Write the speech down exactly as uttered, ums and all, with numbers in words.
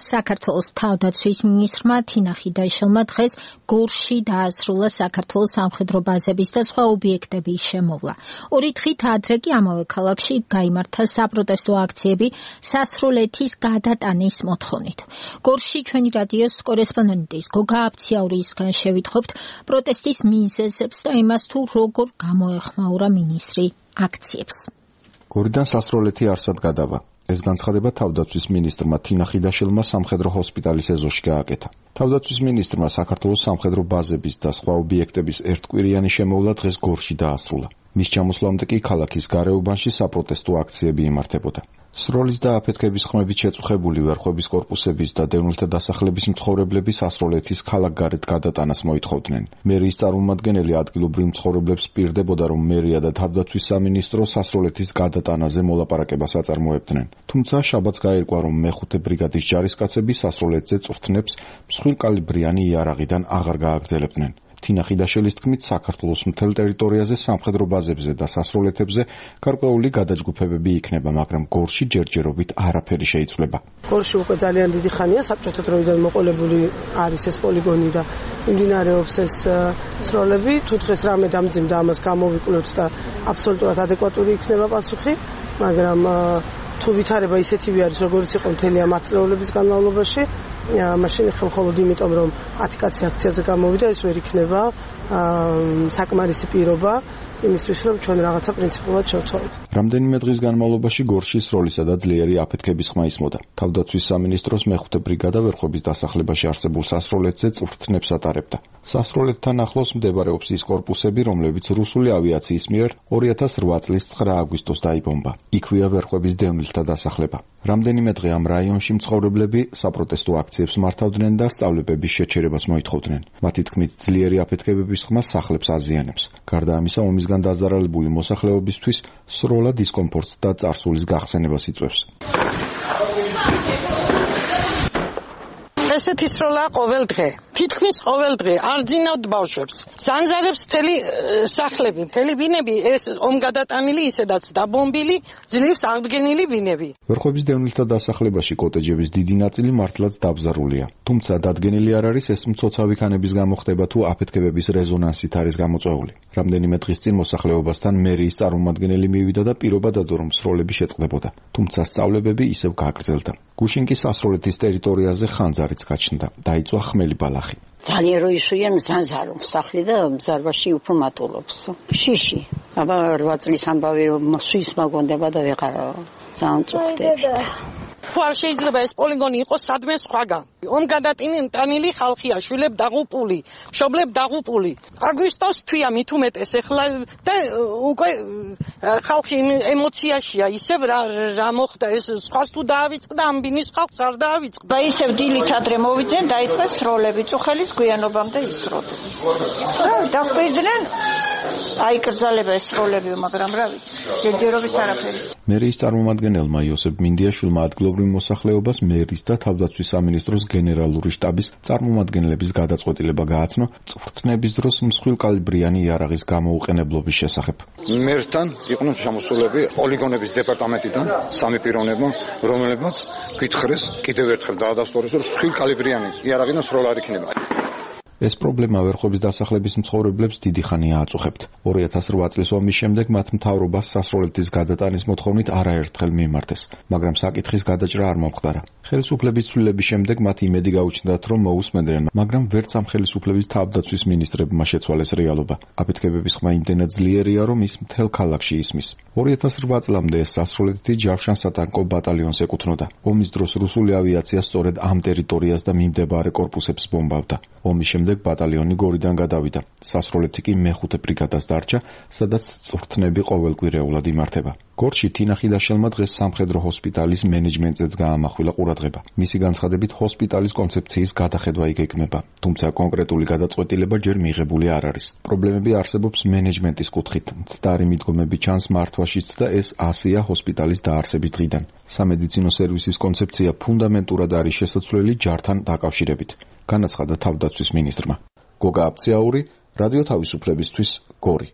საქართველოს თავდაცვის მინისტრმა თინა ხიდაშელმა დღეს გორში დაასრულა საქართველოს სამხედრო ბაზების და სხვა ობიექტების შემოვლა. ორი დღით ადრე კი ამავე ქალაქში გაიმართა საპროტესტო აქციები სასროლეთის გადატანის მოთხოვნით. გორში ჩვენი რადიოს კორესპონდენტის გოგა აბციაურისგან შევითხოვთ პროტესტის მიზეზებს და იმას თუ როგორ გამოეხმაურა მინისტრი აქციებს. გორიდან სასროლეთი არსად გადავა. ეს განცხადება თავდაცვის მინისტრმა თინა ხიდაშელმა სამხედრო ჰოსპიტალის ეზოში გააკეთა. თავდაცვის მინისტრმა საქართველოს სამხედრო ბაზების და სხვა ობიექტების ერთკვირიანი შემოვლა დღეს გორში დაასრულა. მის ჩამოსვლამდე კი ქალაქის გარეუბანში საპროტესტო აქციები იმართებოდა. სროლის და აფეთქების ხმებით შეწუხებული ვერხვების კორპუსების და დევნილთა დასახლების მცხოვრებლები სასროლეთის ქალაქგარეთ გადატანას მოითხოვდნენ. მერიის წარმომადგენელი ადგილობრივ მცხოვრებლებს პირდებოდა, რომ მერია და თავდაცვის სამინისტრო სასროლეთის გადატანაზე მოლაპარაკებას აწარმოებდნენ. თუმცა შაბათს გაირკვა, რომ მეხუთე ბრიგადის ჯარისკაცები სასროლეთზე წვრთნებს მსხვილკალიბრიანი იარაღიდან აღარ გააგრძელებდნენ. თინა ხიდაშელის თქმით, საქართველოს მთელ ტერიტორიაზე სამხედრო ბაზებზე და სასროლეთებზე გარკვეული გადაჯგუფებები იქნება, მაგრამ გორში ჯერჯერობით არაფერი შეიცვლება. გორში უკვე ძალიან დიდი ხანია საბჭოთა დროიდან მოყოლებული არის ეს პოლიგონი და მიმდინარეობს ეს სროლები. თუ დღეს რამე დამძიმდა, ამას გამოვიკვლევთ და აბსოლუტურად ადეკვატური იქნება პასუხი, მაგრამ თუ ვითარება ისეთივე არის, როგორც იყო მთელი ამ ათწლეულების განმავლობაში, მაშინ მხოლოდ იმიტომ, რომ ათი კაცი აქციაზე გამოვიდა, ეს ვერ იქნება საკმარისი პირობა იმისთვის, რომ ჩვენ რაღაცა პრინციპულად შევცვალოთ. რამდენიმე დღის განმავლობაში გორში სროლისა და ძლიერი აფეთქების ხმა ისმოდა. თავდაცვის სამინისტროს მეხუთე ბრიგადა ვერხვების დასახლებაში არსებულ სასროლეთზე წვრთნებს ატარებდა. სასროლეთთან ახლოს მდებარეობს ის კორპუსები, რომლებიც რუსული ავიაციის მიერ ორი ათას რვა წლის ცხრა აგვისტოს დაიბომბა. იქვეა ვერხვების დევნილთა დასახლება. რამდენიმე დღე ამ რაიონში მცხოვრებლები საპროტესტო აქციებს მართავდნენ და სწავლებების შეჩერებას მოითხოვდნენ. მათი თქმით, ძლიერი აფეთქებების ხმა სახლებს აზიანებს. გარდა ამისა, ომისგან დაზარალებული მოსახლეობისთვის სროლა დისკომფორტს და წარსულის გახსენებას იწვევს. ესეთი სროლა ყოველ დღე. თითქმის ყოველ დღე არ ძინავთ ბავშვებს. ზანზარებს მთელი სახლები, მთელი ბინები, ეს ომგადატანილი, ისედაც დაბომბილი, ძლივს აღდგენილი ბინები. ვერხვების დევნილთა დასახლებაში კოტეჯების დიდი ნაწილი მართლაც დაბზარულია. თუმცა დადგენილი არ არის, ეს მცოცავი ქანების გამო ხდება თუ აფეთქებების რეზონანსით არის გამოწვეული. რამდენიმე დღის წინ მოსახლეობასთან მერიის წარმომადგენელი მივიდა და პირობა დადო, რომ სროლები შეწყდებოდა. თუმცა სწავლებები ისევ გააგრძელდა. გუშინ კი სასროლეთის ტერიტორიაზე ხანძარიც გაჩნდა. დაიწვა ხმელი ბალახი. ძალიან რო ისვიან ზანზარო სახლი და ბზარბაში უფრო მატულობს. შიში. აბა რვა წლის ამბავი მოსვის მაგონდება და ვეღარო. ძალიან წუხდებით. თუ არ შეიძლება ეს პოლიგონი იყოს სადმე სხვაგან. ომგადატანილი ხალხია, შვილებ დაღუპული, მშობლებ დაღუპული. აგვისტოს თვია მით უმეტეს ეხლა და უკვე ხალხი ემოციაშია, ისევ რა რა მოხდა ეს სხვას თუ დაავიწყდა, ამ ბინის ხალხს არ დაავიწყდა. და ისევ დილით ადრე მოვიდნენ, დაიწყეს სროლები, წუხელის გვიანობამდე ისროდნენ. და დაგვიდნენ აიკრძალება ეს სროლები, მაგრამ რა ვიცი, ჯერჯერობით არაფერი. მერიის წარმომადგენელმა იოსებ მინდიაშვილმა ადგილობრივ მოსახლეობას მერის და თავდაცვის სამინისტროს გენერალური შტაბის წარმომადგენლების გადაწყვეტილება გააცნო წვრთნების დროს მსხვილკალიბრიანი იარაღის გამოუყენებლობის შესახებ. მერთან იყვნენ შემოსულები პოლიგონების დეპარტამენტიდან სამი პიროვნება, რომლებმაც გითხრეს კიდევ ერთხელ დაადასტურეს, რომ მსხვილკალიბრიანი იარაღიდან სროლა არ იქნება. ეს პრობლემა ვერხვების დასახლების მცხოვრებლებს დიდი ხანია აწუხებთ. ორი ათას რვა წლის ომის შემდეგ მათ მთავრობას სასროლეთის გადატანის მოთხოვნით არაერთხელ მიმართეს, მაგრამ საკითხის გადაჭრა არ მომხდარა. ხელისუფლების ცვლილების შემდეგ მათ იმედი გაუჩნდათ, რომ მოусმენდნენ, მაგრამ ვერც ამ ხელისუფლების თავდაცვის მინისტრებმა შეცვალეს რეალობა. აფეთქებების ხმა იმდენად ძლიერია, რომ ის მთელ ქალაქში ისმის. ორი ათას რვა წლამდე ეს სასროლეთი ჯავშან-სატანკო ბატალიონს ეკუთვნოდა. ომის დროს რუსული ავიაცია სწორედ ამ ტერიტორიას და მიმდებარე კორპუსებს ბომბავდა. ომის შემდეგ ბატალიონი გორიდან გადავიდა. სასროლეთი კი მეხუთე ბრიგადას დარჩა, სადაც წვრთნები ყოველკვირეულად იმართება. გორში თინა ხიდაშელმა დღეს სამხედრო ჰოსპიტალის მენეჯმენტზეც გაამახვილა ყურადღება. მისი განცხადებით, ჰოსპიტალის კონცეფციის გადახედვა იგეგმება, თუმცა კონკრეტული გადაწყვეტილება ჯერ მიღებული არ არის. პრობლემები არსებობს მენეჯმენტის კუთხით. მცდარი მიდგომები ჩანს მართვაშიც და ეს ასეა ჰოსპიტალის დაარსების დღიდან. სამედიცინო სერვისის კონცეფცია ფუნდამენტურად არის შესაძლებელი ჯართან დაკავშირებით, განაცხადა თავდაცვის მინისტრმა. გოგა აბციაური, რადიო თავისუფლებისთვის, გორი.